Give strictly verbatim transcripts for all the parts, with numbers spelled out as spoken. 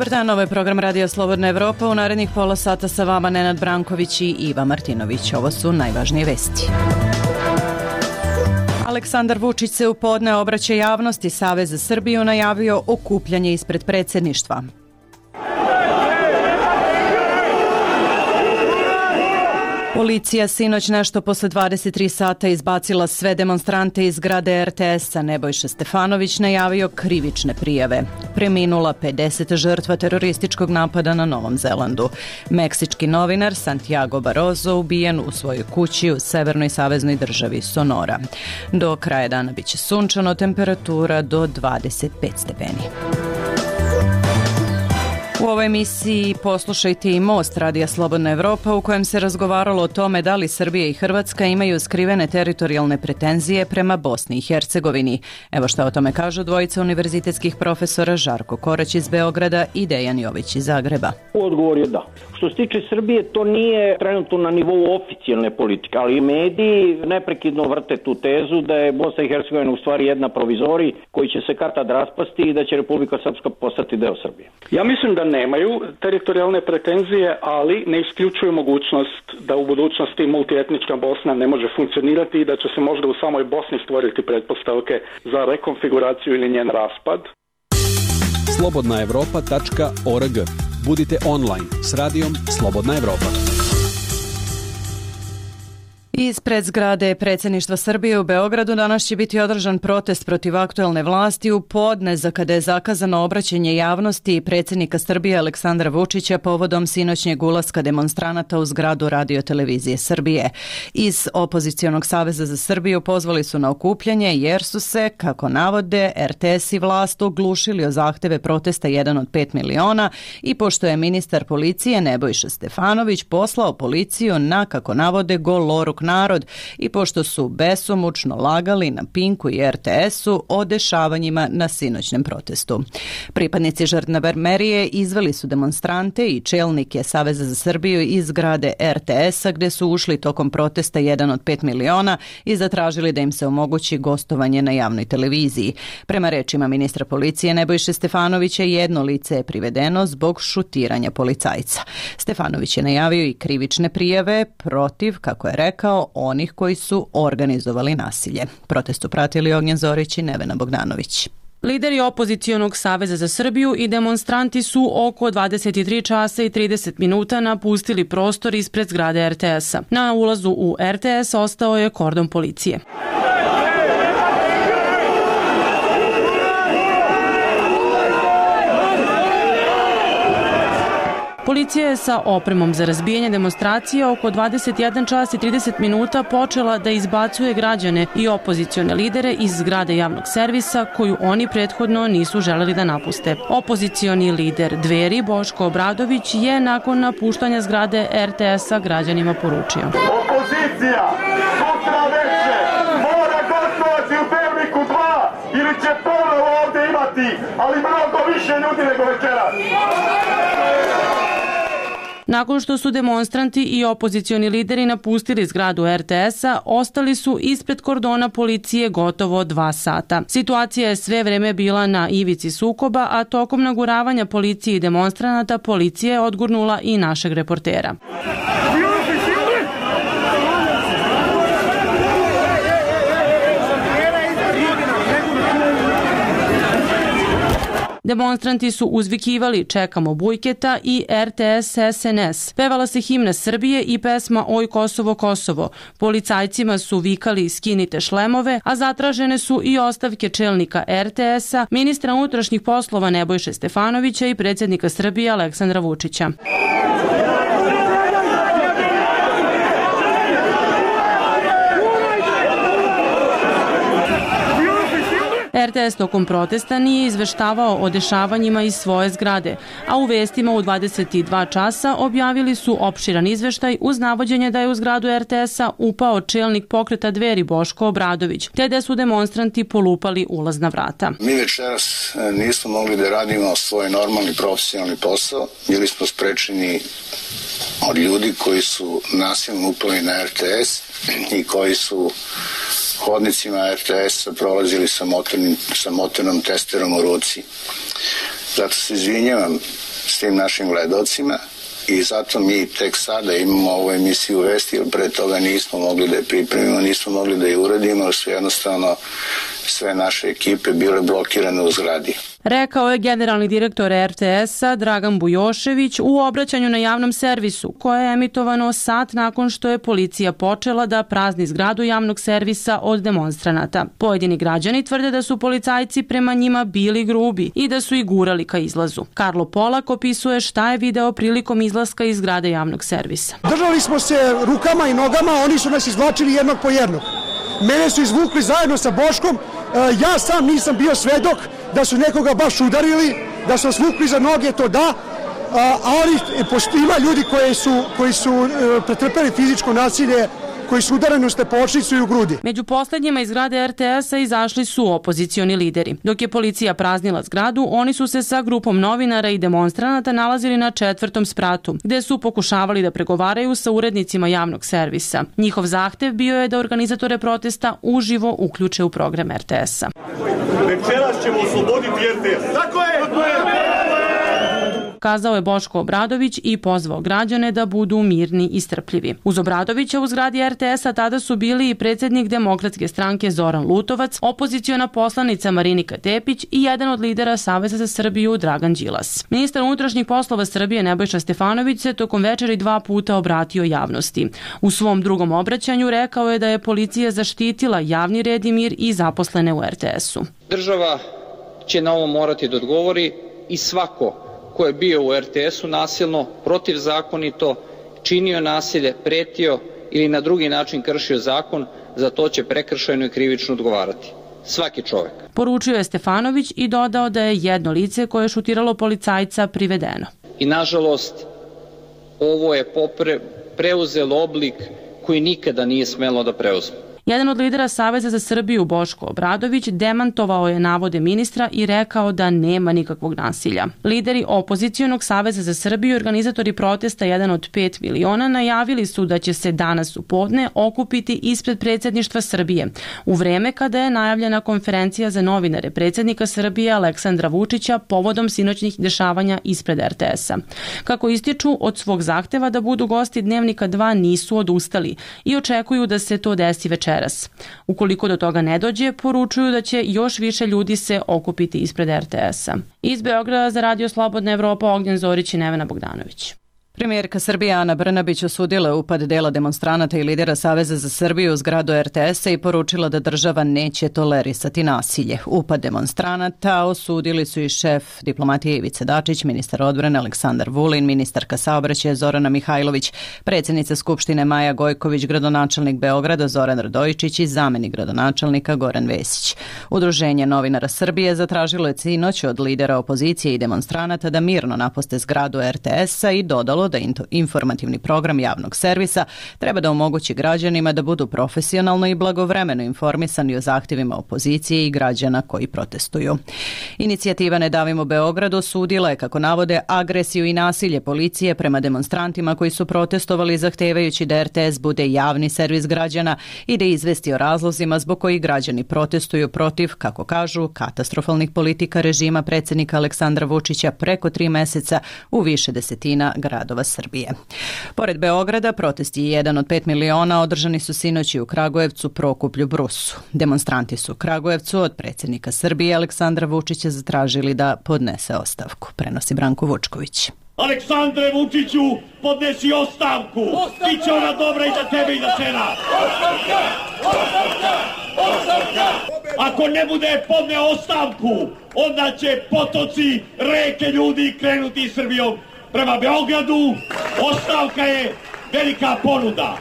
Dobar dan, ovo je program Radio Slobodna Evropa. U narednih pola sata sa vama Nenad Branković i Iva Martinović. Ovo su najvažnije vesti. Aleksandar Vučić se u podne obraća javnosti. Savez za Srbiju najavio okupljanje ispred predsjedništva. Policija sinoć nešto posle dvadeset tri sata izbacila sve demonstrante iz zgrade er te es-a. Nebojša Stefanović najavio krivične prijave. Preminula pedeset žrtva terorističkog napada na Novom Zelandu. Meksički novinar Santiago Barroso ubijen u svojoj kući u severnoj saveznoj državi Sonora. Do kraja dana biće sunčano, temperatura do dvadeset pet stepeni. U ovoj emisiji poslušajte i Most Radija Slobodna Evropa u kojem se razgovaralo o tome da li Srbija i Hrvatska imaju skrivene teritorijalne pretenzije prema Bosni i Hercegovini. Evo šta o tome kažu dvojica univerzitetskih profesora Žarko Korać iz Beograda i Dejan Jović iz Zagreba. Odgovor je da. Što se tiče Srbije, to nije trenutno na nivou oficijalne politike, ali mediji neprekidno vrte tu tezu da je Bosna i Hercegovina u stvari jedna provizorij koji će se kad-tad raspasti i da će Republika Srpska postati deo Srbije. Ja mislim da nemaju teritorijalne pretenzije, ali ne isključuju mogućnost da u budućnosti multietnička Bosna ne može funkcionirati i da će se možda u samoj Bosni stvoriti pretpostavke za rekonfiguraciju ili njen raspad. slobodna evropa tačka org. Budite online s radijom Slobodna Evropa. Ispred zgrade predsjedništva Srbije u Beogradu danas će biti održan protest protiv aktuelne vlasti u podne za kada je zakazano obraćanje javnosti predsjednika Srbije Aleksandra Vučića povodom sinoćnjeg ulaska demonstranata u zgradu Radio-televizije Srbije. Iz Opozicionog saveza za Srbiju pozvali su na okupljanje jer su se, kako navode, er te es i vlast oglušili o zahteve protesta jedan od pet miliona i pošto je ministar policije Nebojša Stefanović poslao policiju na, kako navode, goloruk narod i pošto su besomučno lagali na Pinku i er te es-u o dešavanjima na sinoćnem protestu. Pripadnici žandarmerije izveli su demonstrante i čelnike Saveza za Srbiju iz zgrade er te es-a gde su ušli tokom protesta jedan od pet miliona i zatražili da im se omogući gostovanje na javnoj televiziji. Prema rečima ministra policije Nebojše Stefanovića, jedno lice je privedeno zbog šutiranja policajca. Stefanović je najavio i krivične prijave protiv, kako je rekao, onih koji su organizovali nasilje. Protest su pratili Ognjen Zorić i Nevena Bogdanović. Lideri Opozicionog saveza za Srbiju i demonstranti su oko dvadeset tri časa i trideset minuta napustili prostor ispred zgrade er te es-a. Na ulazu u er te es ostao je kordon policije. Policija je sa opremom za razbijanje demonstracije oko dvadeset jedan čas i trideset minuta počela da izbacuje građane i opozicione lidere iz zgrade javnog servisa koju oni prethodno nisu želeli da napuste. Opozicioni lider Dveri Boško Obradović je nakon napuštanja zgrade er te es-a građanima poručio: Opozicija sutra veče mora gostovati u Dnevniku dva ili će ponovo ovde imati, ali mnogo više ljudi nego večeras. Nakon što su demonstranti i opozicioni lideri napustili zgradu er te es-a, ostali su ispred kordona policije gotovo dva sata. Situacija je sve vreme bila na ivici sukoba, a tokom naguravanja policije i demonstranata policija je odgurnula i našeg reportera. Demonstranti su uzvikivali "Čekamo Bujketa" i er te es es en es. Pevala se himna Srbije i pesma "Oj Kosovo, Kosovo". Policajcima su vikali "Skinite šlemove", a zatražene su i ostavke čelnika er te es-a, ministra unutrašnjih poslova Nebojše Stefanovića i predsjednika Srbije Aleksandra Vučića. er te es tokom protesta nije izveštavao o dešavanjima iz svoje zgrade, a u vestima u dvadeset dva časa objavili su opširan izveštaj uz navođenje da je u zgradu er te es-a upao čelnik pokreta Dveri Boško Obradović, te da su demonstranti polupali ulazna vrata. Mi večeras nismo mogli da radimo svoj normalni profesionalni posao, bili smo sprečeni od ljudi koji su nasilno upali na er te es i koji su hodnicima er te es-a prolazili sa, motornim, sa motornom testerom u ruci. Zato se izvinjavam s tim našim gledocima i zato mi tek sada imamo ovu emisiju Vesti, jer pre toga nismo mogli da je pripremimo, nismo mogli da je uradimo, jer su jednostavno sve naše ekipe bile blokirane u zgradi. Rekao je generalni direktor er te es-a Dragan Bujošević u obraćanju na javnom servisu, koje je emitovano sat nakon što je policija počela da prazni zgradu javnog servisa od demonstranata. Pojedini građani tvrde da su policajci prema njima bili grubi i da su ih gurali ka izlazu. Karlo Polak opisuje šta je video prilikom izlaska iz zgrade javnog servisa. Držali smo se rukama i nogama, oni su nas izvlačili jednog po jednog. Mene su izvukli zajedno sa Boškom, ja sam nisam bio svedok da su nekoga baš udarili, da su nas vukli za noge, to da, ali ima ljudi koji su, koji su pretrpeli fizičko nasilje, koji su udareni u stepočnicu i u grudi. Među poslednjima iz zgrade er te es-a izašli su opozicioni lideri. Dok je policija praznila zgradu, oni su se sa grupom novinara i demonstranata nalazili na četvrtom spratu, gde su pokušavali da pregovaraju sa urednicima javnog servisa. Njihov zahtev bio je da organizatore protesta uživo uključe u program er te es-a. Večeras ćemo osloboditi er te es. Tako je! Tako je! Kazao je Boško Obradović i pozvao građane da budu mirni i strpljivi. Uz Obradovića u zgradi er te es-a tada su bili i predsjednik Demokratske stranke Zoran Lutovac, opoziciona poslanica Marinika Tepić i jedan od lidera Saveza za Srbiju Dragan Đilas. Ministar unutrašnjih poslova Srbije Nebojša Stefanović se tokom večeri dva puta obratio javnosti. U svom drugom obraćanju rekao je da je policija zaštitila javni red i mir i zaposlene u er te es-u. Država će na ovo morati da odgovori i svako ko je bio u er te es-u nasilno, protivzakonito, činio nasilje, pretio ili na drugi način kršio zakon, za to će prekršajno i krivično odgovarati. Svaki čovek. Poručio je Stefanović i dodao da je jedno lice koje je šutiralo policajca privedeno. I nažalost, ovo je popre, preuzelo oblik koji nikada nije smelo da preuzme. Jedan od lidera Saveza za Srbiju, Boško Obradović, demantovao je navode ministra i rekao da nema nikakvog nasilja. Lideri opozicionog Saveza za Srbiju i organizatori protesta jedan od pet miliona najavili su da će se danas u podne okupiti ispred predsjedništva Srbije, u vreme kada je najavljena konferencija za novinare predsjednika Srbije Aleksandra Vučića povodom sinoćnih dešavanja ispred er te es-a. Kako ističu, od svog zahteva da budu gosti Dnevnika dva nisu odustali i očekuju da se to desi večeras. Ukoliko do toga ne dođe, poručuju da će još više ljudi se okupiti ispred er te es-a. Iz Beograda za Radio Slobodna Evropa, Ognjen Zorić i Nevena Bogdanović. Premijerka Srbije Ana Brnabić osudila je upad dela demonstranata i lidera Saveza za Srbiju u zgradu er te es-a i poručila da država neće tolerisati nasilje. Upad demonstranata osudili su i šef diplomatije Ivica Dačić, ministar odbrane Aleksandar Vulin, ministarka saobraćaja Zorana Mihajlović, predsjednica Skupštine Maja Gojković, gradonačelnik Beograda Zoran Radojičić i zamenik gradonačelnika Goran Vesić. Udruženje novinara Srbije zatražilo je sinoć od lidera opozicije i demonstranata da mirno napuste zgradu er te es-a i dodalo da informativni program javnog servisa treba da omogući građanima da budu profesionalno i blagovremeno informisani o zahtjevima opozicije i građana koji protestuju. Inicijativa Ne davimo Beograd osudila je, kako navode, agresiju i nasilje policije prema demonstrantima koji su protestovali zahtevajući da er te es bude javni servis građana i da izvesti o razlozima zbog kojih građani protestuju protiv, kako kažu, katastrofalnih politika režima predsjednika Aleksandra Vučića preko tri meseca u više desetina gradova Srbije. Pored Beograda, protesti jedan od pet miliona održani su sinoć i u Kragujevcu, Prokuplju, Brusu. Demonstranti su u Kragujevcu od predsjednika Srbije Aleksandra Vučića zatražili da podnese ostavku, prenosi Branko Vučković. Aleksandre Vučiću, podnesi ostavku. Biće ona dobra i za tebe i za žena. Ostavka! Ostavka! Ostavka! Ako ne bude podneo ostavku, onda će potoci, reke ljudi krenuti Srbijom prema Beogradu. Ostavka je velika ponuda.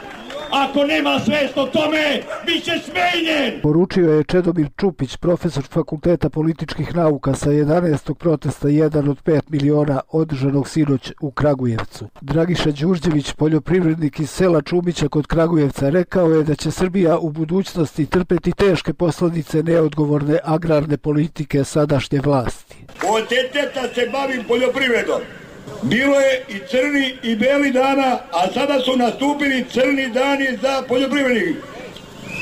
Ako nema svest o tome, bit će smenjen. Poručio je Čedomir Čupić, profesor Fakulteta političkih nauka sa jedanaestog protesta jedan od pet miliona održanog sinoć u Kragujevcu. Dragiša Đurđević, poljoprivrednik iz sela Čumića kod Kragujevca, rekao je da će Srbija u budućnosti trpeti teške posljedice neodgovorne agrarne politike sadašnje vlasti. Od deteta se bavim poljoprivredom. Bilo je i crni i beli dana, a sada su nastupili crni dani za poljoprivrednike.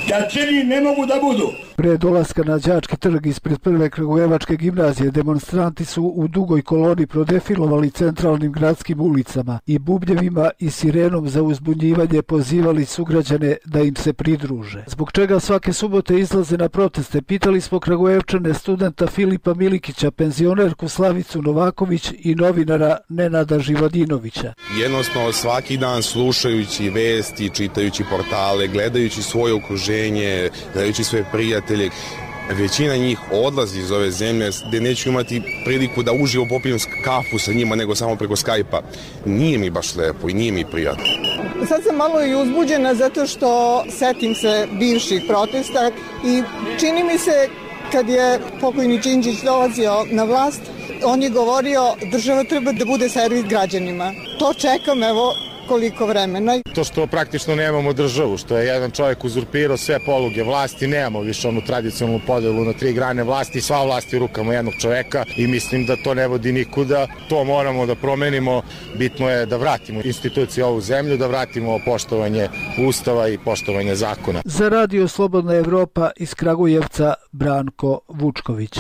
Da crni ne mogu da budu. Pre dolaska na Đački trg ispred prve kragujevačke gimnazije demonstranti su u dugoj koloni prodefilovali centralnim gradskim ulicama i bubnjevima i sirenom za uzbunjivanje pozivali sugrađane da im se pridruže. Zbog čega svake subote izlaze na proteste, pitali smo Kragujevčane studenta Filipa Milikića, penzionerku Slavicu Novaković i novinara Nenada Živodinovića. Jednostavno svaki dan slušajući vesti, čitajući portale, gledajući svoje okruženje, gledajući svoje prijatelje, većina njih odlazi iz ove zemlje gde neću imati priliku da uživo popijem kafu sa njima nego samo preko Skype-a. Nije mi baš lepo i nije mi prijatno. Sad sam malo i uzbuđena zato što setim se bivših protesta i čini mi se kad je pokojni Đinđić dolazio na vlast, on je govorio država treba da bude servis građanima. To čekam evo koliko vremena. To što praktično nemamo državu, što je jedan čovjek uzurpirao sve poluge vlasti, nemamo više onu tradicionalnu podelu na tri grane vlasti, sva vlast je u rukama jednog čovjeka i mislim da to ne vodi nikuda. To moramo da promenimo, bitno je da vratimo institucije ovu zemlju, da vratimo poštovanje Ustava i poštovanje zakona. Za Radio Slobodna Evropa iz Kragujevca Branko Vučković.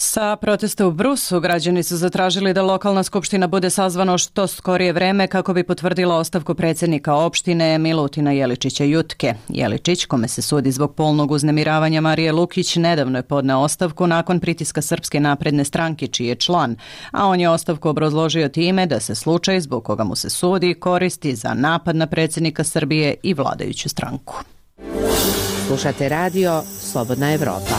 Sa protesta u Brusu građani su zatražili da lokalna skupština bude sazvano što skorije vreme kako bi potvrdila ostavku predsjednika opštine Milutina Jeličića Jutke. Jeličić, kome se sudi zbog polnog uznemiravanja Marije Lukić, nedavno je podneo ostavku nakon pritiska Srpske napredne stranke čiji je član, a on je ostavku obrazložio time da se slučaj zbog koga mu se sudi koristi za napad na predsjednika Srbije i vladajuću stranku. Slušate radio Slobodna Evropa.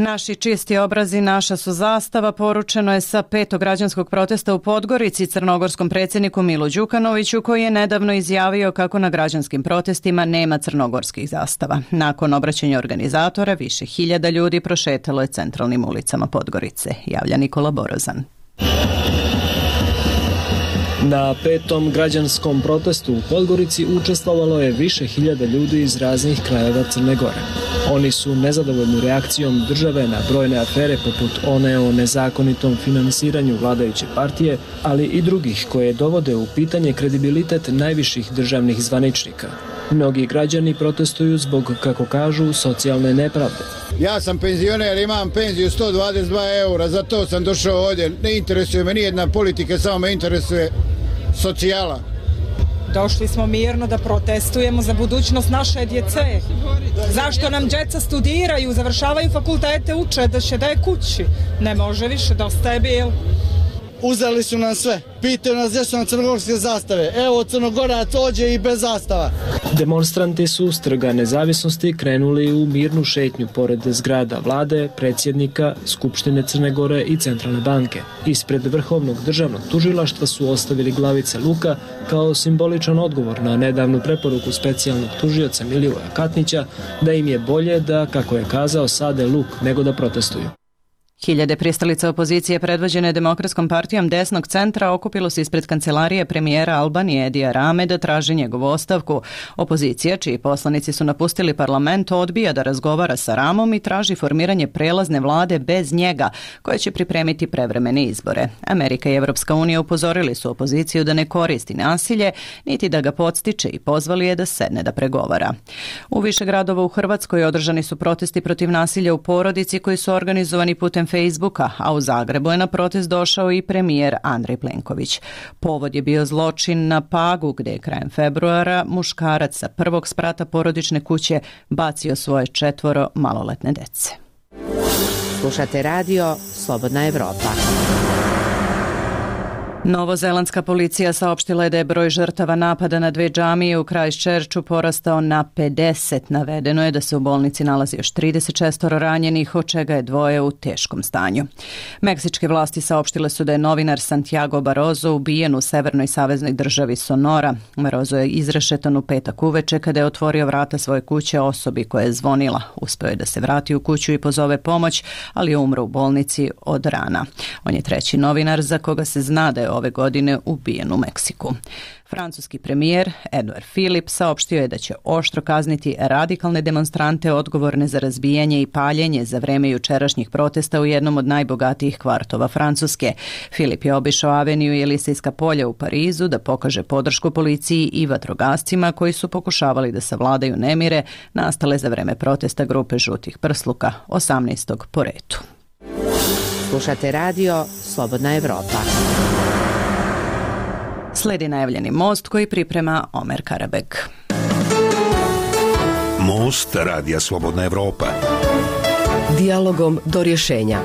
Naši čisti obrazi, naša su zastava, poručeno je sa petog građanskog protesta u Podgorici crnogorskom predsjedniku Milu Đukanoviću, koji je nedavno izjavio kako na građanskim protestima nema crnogorskih zastava. Nakon obraćanja organizatora, više hiljada ljudi prošetalo je centralnim ulicama Podgorice, javlja Nikola Borozan. Na petom građanskom protestu u Podgorici učestvovalo je više hiljada ljudi iz raznih krajeva Crne Gore. Oni su nezadovoljni reakcijom države na brojne afere poput one o nezakonitom finansiranju vladajuće partije, ali i drugih koje dovode u pitanje kredibilitet najviših državnih zvaničnika. Mnogi građani protestuju zbog, kako kažu, socijalne nepravde. Ja sam penzioner, imam penziju sto dvadeset dva eura, zato sam došao ovdje. Ne interesuje me nijedna politika, samo me interesuje socijala. Došli smo mirno da protestujemo za budućnost naše djece. Zašto nam djeca studiraju, završavaju fakultete, uče da će da je kući? Ne može više, dosta je bil. Uzeli su nam sve. Pitaju nas gdje su nam crnogorske zastave. Evo, Crnogorac ođe i bez zastava. Demonstranti su s Trga Nezavisnosti krenuli u mirnu šetnju pored zgrada vlade, predsjednika, Skupštine Crne Gore i Centralne banke. Ispred Vrhovnog državnog tužilaštva su ostavili glavice luka kao simboličan odgovor na nedavnu preporuku specijalnog tužioca Milivoja Katnića da im je bolje da, kako je kazao, sade luk nego da protestuju. Hiljade pristalica opozicije predvođene Demokratskom partijom desnog centra okupilo se ispred kancelarije premijera Albanije Edija Rame da traži njegovu ostavku. Opozicija, čiji poslanici su napustili parlament, odbija da razgovara sa Ramom i traži formiranje prelazne vlade bez njega, koja će pripremiti prevremene izbore. Amerika i Evropska unija upozorili su opoziciju da ne koristi nasilje, niti da ga podstiče i pozvali je da sedne da pregovara. U više gradova u Hrvatskoj održani su protesti protiv nasilja u porodici koji su organizovani putem Facebooka, a u Zagrebu je na protest došao i premijer Andrej Plenković. Povod je bio zločin na Pagu, gde je krajem februara muškarac sa prvog sprata porodične kuće bacio svoje četvoro maloletne dece. Slušate radio Slobodna Evropa. Novozelandska policija saopštila je da je broj žrtava napada na dve džamije u Christchurchu porastao na pedeset. Navedeno je da se u bolnici nalazi još trideset šest ranjenih, od čega je dvoje u teškom stanju. Meksičke vlasti saopštile su da je novinar Santiago Barozo ubijen u severnoj saveznoj državi Sonora. Barozo je izrešetan u petak uveče kada je otvorio vrata svoje kuće osobi koja je zvonila. Uspeo je da se vrati u kuću i pozove pomoć, ali je umro u bolnici od rana. On je treći novinar za koga se zna da je ove godine ubijen u Meksiku. Francuski premijer Edouard Philippe saopštio je da će oštro kazniti radikalne demonstrante odgovorne za razbijanje i paljenje za vreme jučerašnjih protesta u jednom od najbogatijih kvartova Francuske. Philippe je obišao Aveniju i Elisejska polja u Parizu da pokaže podršku policiji i vatrogascima koji su pokušavali da savladaju nemire nastale za vreme protesta grupe žutih prsluka, osamnaestog po redu. Slušate radio Slobodna Evropa. Sledi najavljeni most koji priprema Omer Karabek. Most radija Slobodna Evropa. Dijalogom do rješenja.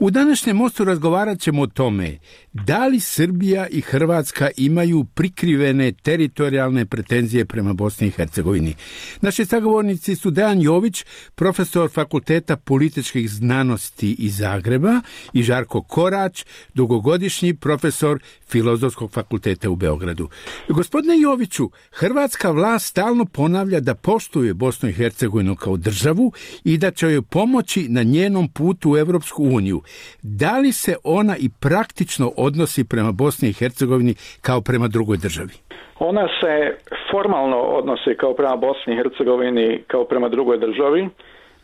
U današnjem mostu razgovarat ćemo o tome da li Srbija i Hrvatska imaju prikrivene teritorijalne pretenzije prema Bosni i Hercegovini. Naši sagovornici su Dejan Jović, profesor Fakulteta političkih znanosti iz Zagreba, i Žarko Korać, dugogodišnji profesor Filozofskog fakulteta u Beogradu. Gospodine Joviću, hrvatska vlast stalno ponavlja da poštuje Bosnu i Hercegovinu kao državu i da će joj pomoći na njenom putu u Evropsku uniju. Da li se ona i praktično odnosi prema Bosni i Hercegovini kao prema drugoj državi? Ona se formalno odnosi kao prema Bosni i Hercegovini kao prema drugoj državi,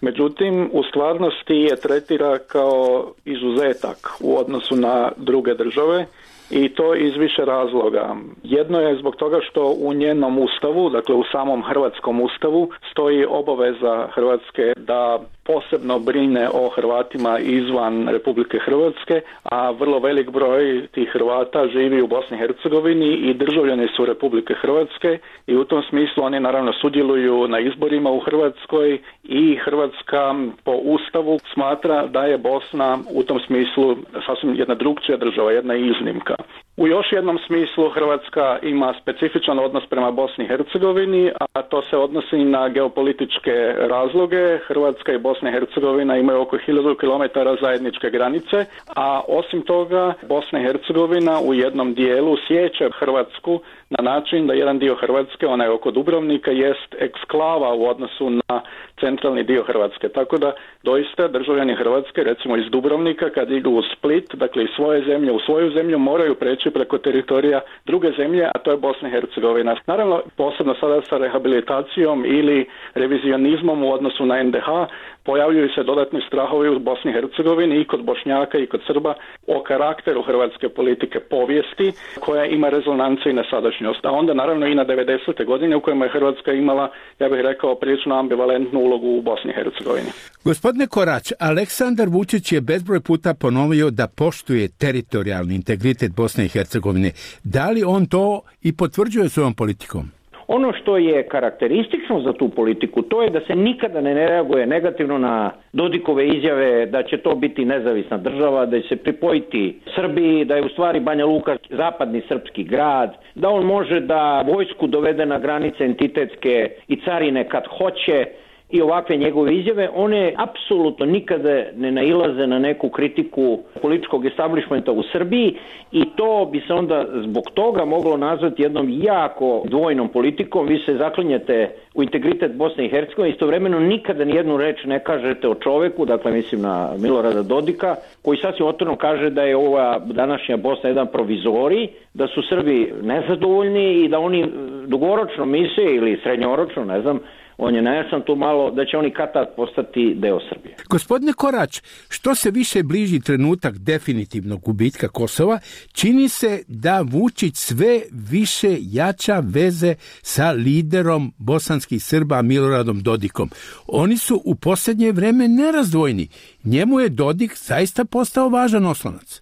međutim u stvarnosti je tretira kao izuzetak u odnosu na druge države, i to iz više razloga. Jedno je zbog toga što u njenom ustavu, dakle u samom hrvatskom ustavu, stoji obaveza Hrvatske da posebno brine o Hrvatima izvan Republike Hrvatske, a vrlo velik broj tih Hrvata živi u Bosni i Hercegovini i državljani su Republike Hrvatske, i u tom smislu oni naravno sudjeluju na izborima u Hrvatskoj, i Hrvatska po ustavu smatra da je Bosna u tom smislu sasvim jedna drugčija država, jedna iznimka. U još jednom smislu Hrvatska ima specifičan odnos prema Bosni i Hercegovini, a to se odnosi na geopolitičke razloge. Hrvatska i Bosna i Hercegovina imaju oko hiljadu kilometara zajedničke granice, a osim toga Bosna i Hercegovina u jednom dijelu sječe Hrvatsku na način da jedan dio Hrvatske, onaj oko Dubrovnika, jest eksklava u odnosu na centralni dio Hrvatske. Tako da doista državljani Hrvatske, recimo iz Dubrovnika, kad idu u Split, dakle iz svoje zemlje u svoju zemlju, moraju preći preko teritorija druge zemlje, a to je Bosna i Hercegovina. Naravno, posebno sada sa rehabilitacijom ili revizionizmom u odnosu na en de ha, pojavljuju se dodatni strahovi u Bosni i Hercegovini i kod Bošnjaka i kod Srba o karakteru hrvatske politike povijesti, koja ima rezonance i na sadašnjost. A onda naravno i na devedesete godine u kojima je Hrvatska imala, ja bih rekao, prilično ambivalentnu ulogu u Bosni i Hercegovini. Gospodine Korać, Aleksandar Vučić je bezbroj puta ponovio da poštuje teritorijalni integritet Bosne i Hercegovine. Da li on to i potvrđuje svojom politikom? Ono što je karakteristično za tu politiku, to je da se nikada ne reaguje negativno na Dodikove izjave da će to biti nezavisna država, da će se pripojiti Srbiji, da je u stvari Banja Luka zapadni srpski grad, da on može da vojsku dovede na granice entitetske i carine kad hoće, i ovakve njegove izjave, one apsolutno nikada ne nailaze na neku kritiku političkog establishmenta u Srbiji, i to bi se onda zbog toga moglo nazvati jednom jako dvojnom politikom. Vi se zaklinjete u integritet Bosne i Hercegovine, istovremeno nikada nijednu reč ne kažete o čoveku, dakle mislim na Milorada Dodika, koji sasvim otvoreno kaže da je ova današnja Bosna jedan provizorij, da su Srbi nezadovoljni i da oni dugoročno misle ili srednjoročno, ne znam, on je nejasan tu malo, da će oni kad-tad postati deo Srbije. Gospodine Korać, što se više bliži trenutak definitivnog gubitka Kosova, čini se da Vučić sve više jača veze sa liderom bosanskih Srba Miloradom Dodikom. Oni su u posljednje vreme nerazdvojni. Njemu je Dodik zaista postao važan oslonac.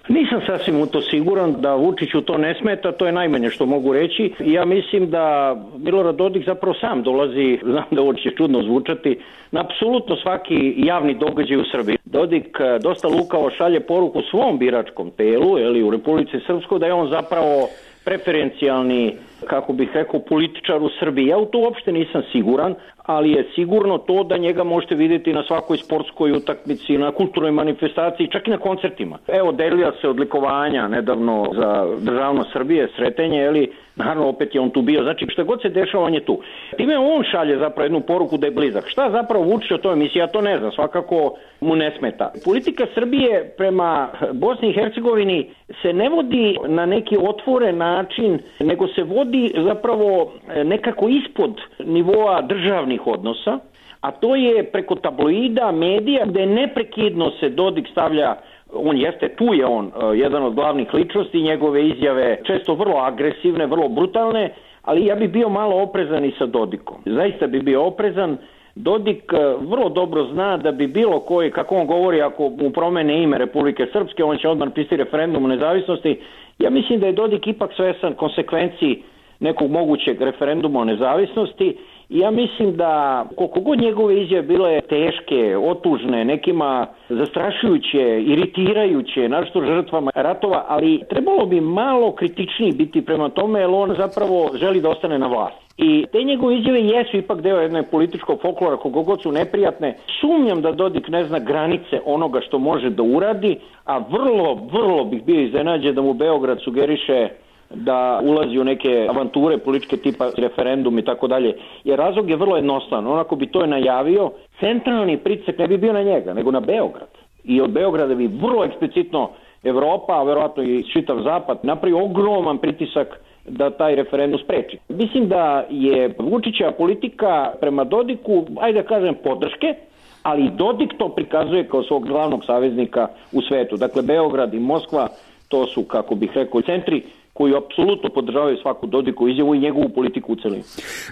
Nisam sasvim u to siguran da Vučiću to ne smeta, to je najmanje što mogu reći. Ja mislim da Milorad Dodik zapravo sam dolazi, znam da ovo će čudno zvučati, na apsolutno svaki javni događaj u Srbiji. Dodik dosta lukavo šalje poruku svom biračkom telu, ili u Republici Srpskoj, da je on zapravo preferencijalni, kako bih rekao, političar u Srbiji. Ja u to uopšte nisam siguran, ali je sigurno to da njega možete vidjeti na svakoj sportskoj utakmici, na kulturnoj manifestaciji, čak i na koncertima. Evo, delila se odlikovanja nedavno za državnost Srbije, Sretenje, eli Naravno, opet je on tu bio. Znači, šta god se dešava, on je tu. Time on šalje zapravo jednu poruku da je blizak. Šta zapravo Vučić o toj emisiji? Ja to ne znam. Svakako mu ne smeta. Politika Srbije prema Bosni i Hercegovini se ne vodi na neki otvoren način, nego se vodi zapravo nekako ispod nivoa državnih odnosa, a to je preko tabloida, medija, gde neprekidno se Dodik stavlja. On jeste, tu je on, jedan od glavnih ličnosti, njegove izjave često vrlo agresivne, vrlo brutalne, ali ja bih bio malo oprezan i sa Dodikom. Zaista bi bio oprezan. Dodik vrlo dobro zna da bi bilo koji, kako on govori, ako mu promene ime Republike Srpske, on će odmah napisati referendum o nezavisnosti. Ja mislim da je Dodik ipak svesan konsekvenciji nekog mogućeg referenduma o nezavisnosti. I ja mislim da koliko god njegove izjave bile teške, otužne, nekima zastrašujuće, iritirajuće, našto žrtvama ratova, ali trebalo bi malo kritičniji biti prema tome, jer on zapravo želi da ostane na vlasti. I te njegove izjave jesu ipak deo jednog političkog folklora, koliko god su neprijatne. Sumnjam da Dodik ne zna granice onoga što može da uradi, a vrlo, vrlo bih bio iznenađen da mu Beograd sugeriše da ulazi u neke avanture političke tipa referendum i tako dalje. Jer razlog je vrlo jednostavan. Onako bi to najavio, centralni pritisak ne bi bio na njega, nego na Beograd. I od Beograda bi vrlo eksplicitno Evropa, a verovatno i čitav zapad, napravi ogroman pritisak da taj referendum spreči. Mislim da je Vučićeva politika prema Dodiku, ajde da kažem, podrške, ali Dodik to prikazuje kao svog glavnog saveznika u svetu. Dakle, Beograd i Moskva, to su, kako bih rekao, centri koji apsolutno podržavaju svaku Dodikovu izjavu i njegovu politiku u celini.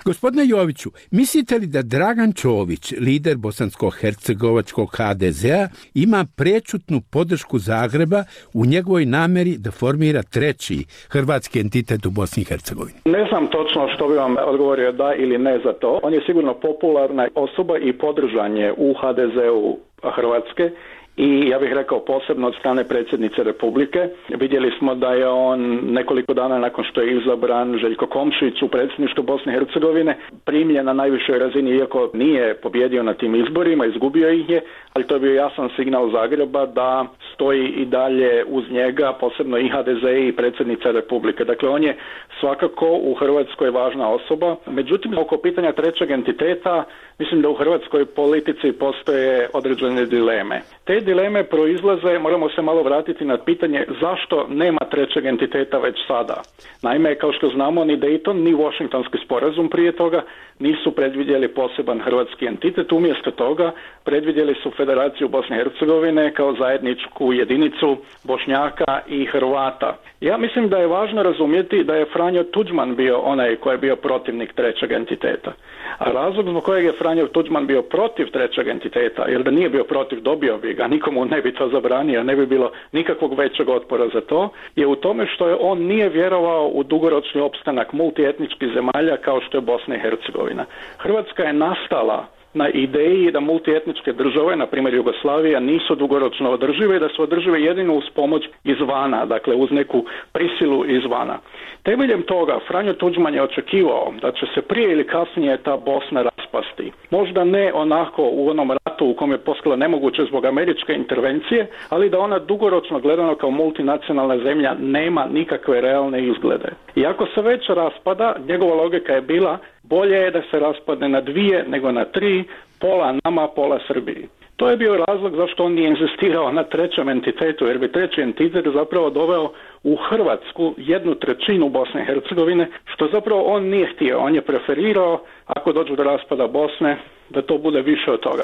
Gospodine Joviću, mislite li da Dragan Čović, lider bosansko-hercegovačkog ha de zea, ima prečutnu podršku Zagreba u njegovoj nameri da formira treći hrvatski entitet u Bosni i Hercegovini? Ne znam točno što bi vam odgovorio da ili ne za to. On je sigurno popularna osoba i podržan je u ha de zeu Hrvatske. I ja bih rekao posebno od strane predsjednice Republike. Vidjeli smo da je on nekoliko dana nakon što je izabran Željko Komšić u predsjedništvu Bosne i Hercegovine primljen na najvišoj razini, iako nije pobjedio na tim izborima, izgubio ih je, ali to je bio jasan signal Zagreba da stoji i dalje uz njega, posebno i ha de ze i predsjednica Republike. Dakle, on je svakako u Hrvatskoj važna osoba. Međutim, oko pitanja trećeg entiteta, mislim da u hrvatskoj politici postoje određene dileme. Te dileme proizlaze, moramo se malo vratiti na pitanje zašto nema trećeg entiteta već sada. Naime, kao što znamo, ni Dayton, ni Washingtonski sporazum prije toga nisu predvidjeli poseban hrvatski entitet. Umjesto toga predvidjeli su Federaciju Bosne i Hercegovine kao zajedničku jedinicu Bošnjaka i Hrvata. Ja mislim da je važno razumjeti da je Franjo Tuđman bio onaj koji je bio protivnik trećeg entiteta. A razlog zbog kojeg je Franjo Tuđman bio protiv trećeg entiteta, jer da nije bio protiv, dobio bi ga, nikomu ne bi to zabranio, ne bi bilo nikakvog većeg otpora za to, je u tome što je on nije vjerovao u dugoročni opstanak multietničkih zemalja kao što je Bosna i Hercegovina. Hrvatska je nastala na ideji da multietničke države, na primjer Jugoslavija, nisu dugoročno održive i da su održive jedino uz pomoć izvana, dakle uz neku prisilu izvana. Temeljem toga Franjo Tuđman je očekivao da će se prije ili kasnije ta Bosna raspasti. Možda ne onako u onom ratu u kom je postalo nemoguće zbog američke intervencije, ali da ona dugoročno gledano kao multinacionalna zemlja nema nikakve realne izglede. I ako se već raspada, njegova logika je bila bolje je da se raspadne na dvije nego na tri, pola nama, pola Srbiji. To je bio razlog zašto on nije inzistirao na trećem entitetu, jer bi treći entitet zapravo doveo u Hrvatsku jednu trećinu Bosne i Hercegovine, što zapravo on nije htio. On je preferirao, ako dođu do raspada Bosne, da to bude više od toga.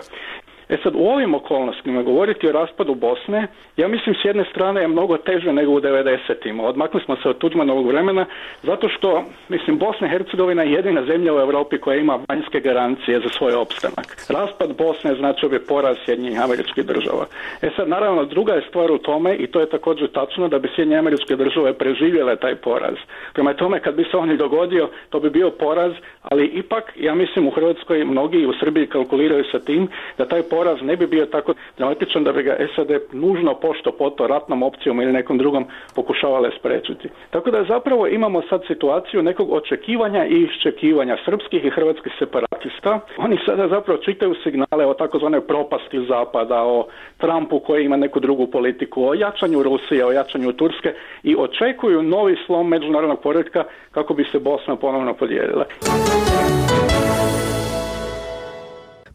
E sad, u ovim okolnostima govoriti o raspadu Bosne, ja mislim s jedne strane je mnogo teže nego u devedesetima. Odmakli smo se od Tuđmanovog vremena, zato što, mislim, Bosna i Hercegovina je jedina zemlja u Europi koja ima vanjske garancije za svoj opstanak. Raspad Bosne značio bi poraz Sjedinjenih Američkih Država. E sad, naravno, druga je stvar u tome, i to je također tačno, da bi Sjedinjene Američke Države preživjele taj poraz. Prema tome, kad bi se on i dogodio, to bi bio poraz, ali ipak, ja mislim, u Hrvatskoj mnogi i u Srbiji kalkuliraju sa tim da taj poraz poraz ne bi bio tako dramatičan da bi ga S A D nužno pošto poto ratnom opcijom ili nekom drugom pokušavale sprečiti. Tako da zapravo imamo sad situaciju nekog očekivanja i iščekivanja srpskih i hrvatskih separatista. Oni sada zapravo čitaju signale o takozvanoj propasti Zapada, o Trumpu koji ima neku drugu politiku, o jačanju Rusije, o jačanju Turske i očekuju novi slom međunarodnog poretka kako bi se Bosna ponovno podijelila.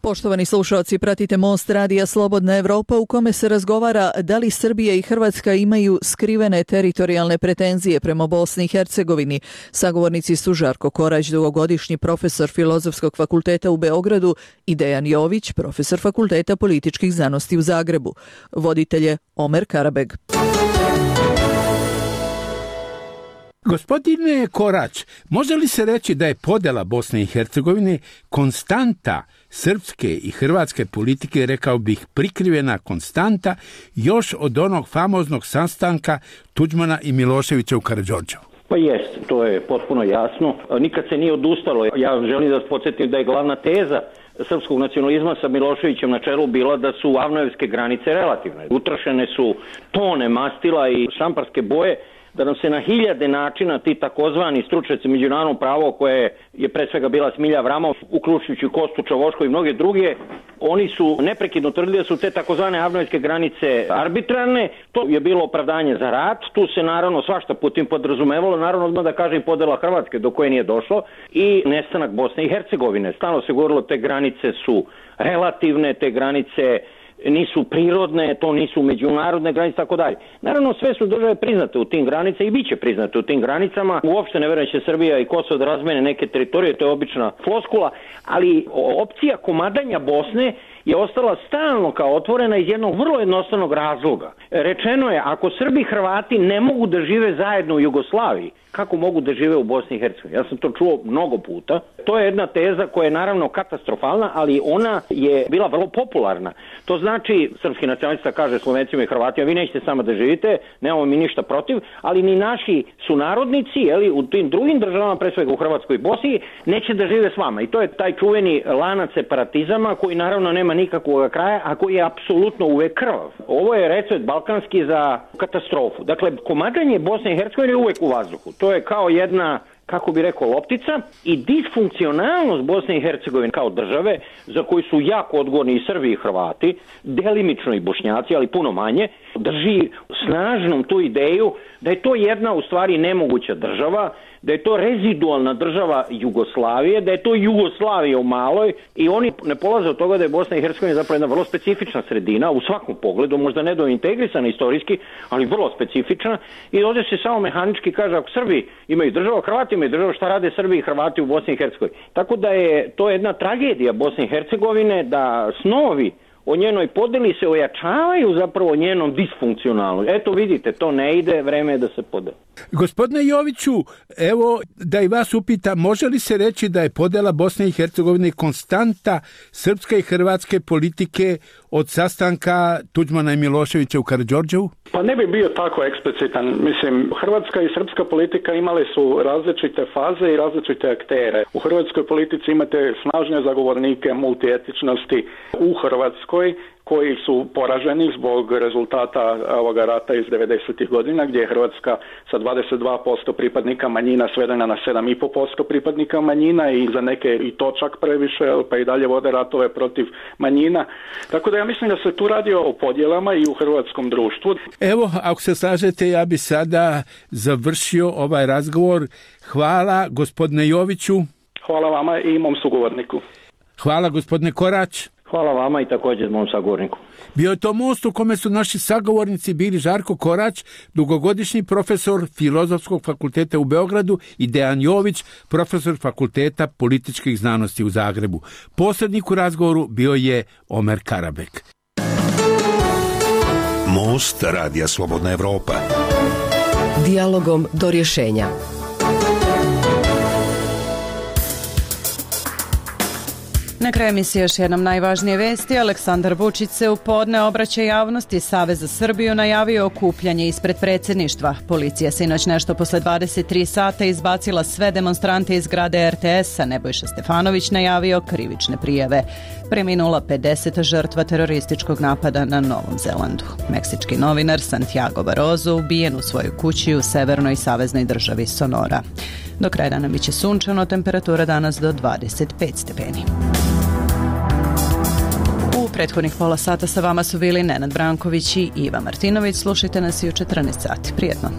Poštovani slušalci, pratite Most radija Slobodna Evropa u kome se razgovara da li Srbija i Hrvatska imaju skrivene teritorijalne pretenzije prema Bosni i Hercegovini. Sagovornici su Žarko Korać, dugogodišnji profesor Filozofskog fakulteta u Beogradu, i Dejan Jović, profesor Fakulteta političkih znanosti u Zagrebu. Voditelj je Omer Karabeg. Gospodine Korać, može li se reći da je podela Bosne i Hercegovine konstanta srpske i hrvatske politike, rekao bih prikrivena konstanta, još od onog famoznog sastanka Tuđmana i Miloševića u Karađorđevu? Pa jest, to je potpuno jasno. Nikad se nije odustalo. Ja želim da vas podsjetim da je glavna teza srpskog nacionalizma sa Miloševićem na čelu bila da su avnojevske granice relativne. Utrošene su tone mastila i šamparske boje, da nam se na hiljade načina ti takozvani stručnjaci međunarodnog prava, koje je pre svega bila Smilja Avramov, uključujući Kostu Čavoško i mnoge druge, oni su neprekidno tvrdili da su te takozvane avnojevske granice arbitrarne. To je bilo opravdanje za rat. Tu se naravno svašta putem podrazumevalo, naravno odmah da kažem podela Hrvatske do koje nije došlo i nestanak Bosne i Hercegovine. Stalno se govorilo te granice su relativne, te granice nisu prirodne, to nisu međunarodne granice, tako dalje. Naravno, sve su države priznate u tim granicama i bit će priznate u tim granicama. Uopšte ne verujem da će Srbija i Kosovo da razmene neke teritorije, to je obična floskula, ali opcija komadanja Bosne je ostala stalno kao otvorena iz jednog vrlo jednostavnog razloga. Rečeno je, ako Srbi i Hrvati ne mogu da žive zajedno u Jugoslaviji, kako mogu da žive u Bosni i Hercegovini? Ja sam to čuo mnogo puta. To je jedna teza koja je naravno katastrofalna, ali ona je bila vrlo popularna. To znači, srpski nacionalista kaže Slovencima i Hrvatima, vi nećete samo da živite, nemamo mi ništa protiv, ali ni naši sunarodnici, jeli, u tim drugim državama, pre svega u Hrvatskoj i Bosni, neće da žive s vama. I to je taj čuveni lanac separatizama koji naravno nema nikakvog kraja, a koji je apsolutno uvek krvav. Ovo je recept balkanski za katastrofu. Dakle, komadanje Bosne i Hercegovine je uvek u vazduhu. To je kao jedna, kako bi rekao, loptica, i disfunkcionalnost Bosne i Hercegovine kao države, za koju su jako odgovorni i Srbi i Hrvati, delimično i Bošnjaci, ali puno manje, drži snažnom tu ideju da je to jedna u stvari nemoguća država, da je to rezidualna država Jugoslavije, da je to Jugoslavija u maloj, i oni ne polaze od toga da je Bosna i Hercegovina zapravo jedna vrlo specifična sredina u svakom pogledu, možda ne do integrisana istorijski, ali vrlo specifična, i ovdje se samo mehanički kaže, ako Srbi imaju državu, Hrvati imaju državu, šta rade Srbi i Hrvati u Bosni i Hercegovini? Tako da je to jedna tragedija Bosne i Hercegovine, da snovi o njenoj podeli se ojačavaju zapravo njenom disfunkcionalnom. Eto vidite, to ne ide, vreme je da se podeli. Gospodine Joviću, evo da i vas upitam, može li se reći da je podela Bosne i Hercegovine konstanta srpske i hrvatske politike od sastanka Tuđmana i Miloševića u Karađorđevu? Pa ne bi bio tako eksplicitan. Mislim, hrvatska i srpska politika imale su različite faze i različite aktere. U hrvatskoj politici imate snažne zagovornike multietičnosti u Hrvatskoj, koji su poraženi zbog rezultata ovoga rata iz devedesetih godina, gdje je Hrvatska sa dvadeset dva posto pripadnika manjina svedena na sedam i po posto pripadnika manjina, i za neke i to čak previše, pa i dalje vode ratove protiv manjina. Tako da ja mislim da se tu radi o podjelama i u hrvatskom društvu. Evo, ako se slažete, ja bi sada završio ovaj razgovor. Hvala gospodine Joviću. Hvala vama i mom sugovorniku. Hvala gospodine Korać. Hvala vama i također mom sagovorniku. Bio je to Most u kome su naši sagovornici bili Žarko Korać, dugogodišnji profesor Filozofskog fakulteta u Beogradu, i Dejan Jović, profesor Fakulteta političkih znanosti u Zagrebu. Posrednik u razgovoru bio je Omer Karabek. Most radija Slobodna Evropa. Dijalogom do rješenja. Na kraju emisije još jednom najvažnije vesti. Aleksandar Vučić se u podne obraća javnosti. Savez za Srbiju najavio okupljanje ispred predsjedništva. Policija sinoć nešto posle dvadeset tri sata izbacila sve demonstrante iz zgrade er te es-a. Nebojša Stefanović najavio krivične prijave. Preminula pedeseta žrtva terorističkog napada na Novom Zelandu. Meksički novinar Santiago Barozo ubijen u svojoj kući u severnoj saveznoj državi Sonora. Do kraja dana biće sunčano, temperatura danas do dvadeset pet stepeni. U prethodnih pola sata sa vama su bili Nenad Branković i Iva Martinović. Slušajte nas i u četrnaest sati. Prijetno.